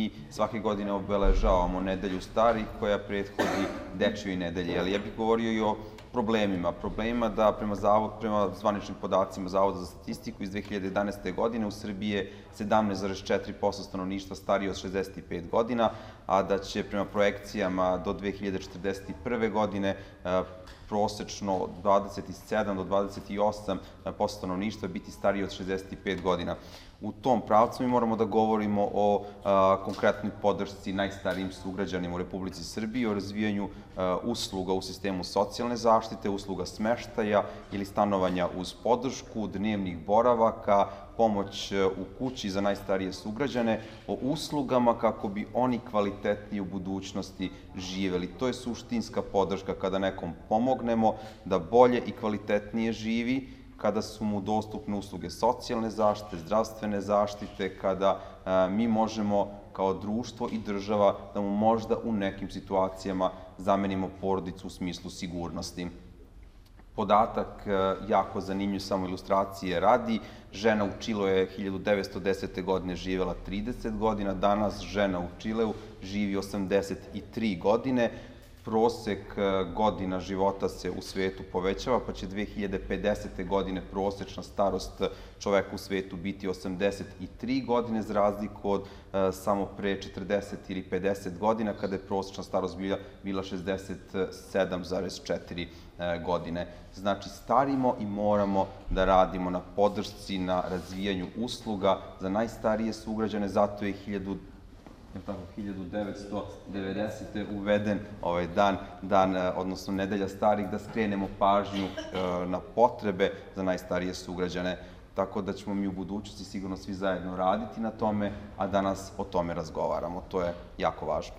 mi svake godine obeležavamo nedelju starih koja prethodi dečjoj nedelji, ali ja bih govorio i o problemima da prema zvaničnim podacima Zavoda za statistiku iz 2011. godine u Srbiji je 17,4% stanovništva starije od 65 godina, a da će prema projekcijama do 2041. godine prosečno 27 do 28% stanovništva biti starije od 65 godina. U tom pravcu mi moramo da govorimo o konkretnoj podršci najstarijim sugrađanima u Republici Srbiji, o razvijanju usluga u sistemu socijalne zaštite, usluga smeštaja ili stanovanja uz podršku, dnevnih boravaka, pomoć u kući za najstarije sugrađane, o uslugama kako bi oni kvalitetnije u budućnosti živeli. To je suštinska podrška kada nekom pomognemo da bolje i kvalitetnije živi, kada su mu dostupne usluge socijalne zaštite, zdravstvene zaštite, kada mi možemo kao društvo i država da mu možda u nekim situacijama zamenimo porodicu u smislu sigurnosti. Podatak jako zanimljiv, samo ilustracije radi. Žena u Čileu je 1910. godine živela 30 godina, danas žena u Čileu živi 83 godine. Prosek godina života se u svetu povećava, pa će 2050. godine prosečna starost čoveka u svetu biti 83 godine, za razliku od samo pre 40 ili 50 godina, kada je prosečna starost bila 67,4 godine. Znači, starimo i moramo da radimo na podršci, na razvijanju usluga za najstarije sugrađane, zato je 1990. uveden ovaj dan, odnosno nedelja starih, da skrenemo pažnju na potrebe za najstarije sugrađane. Tako da ćemo mi u budućnosti sigurno svi zajedno raditi na tome, a danas o tome razgovaramo. To je jako važno.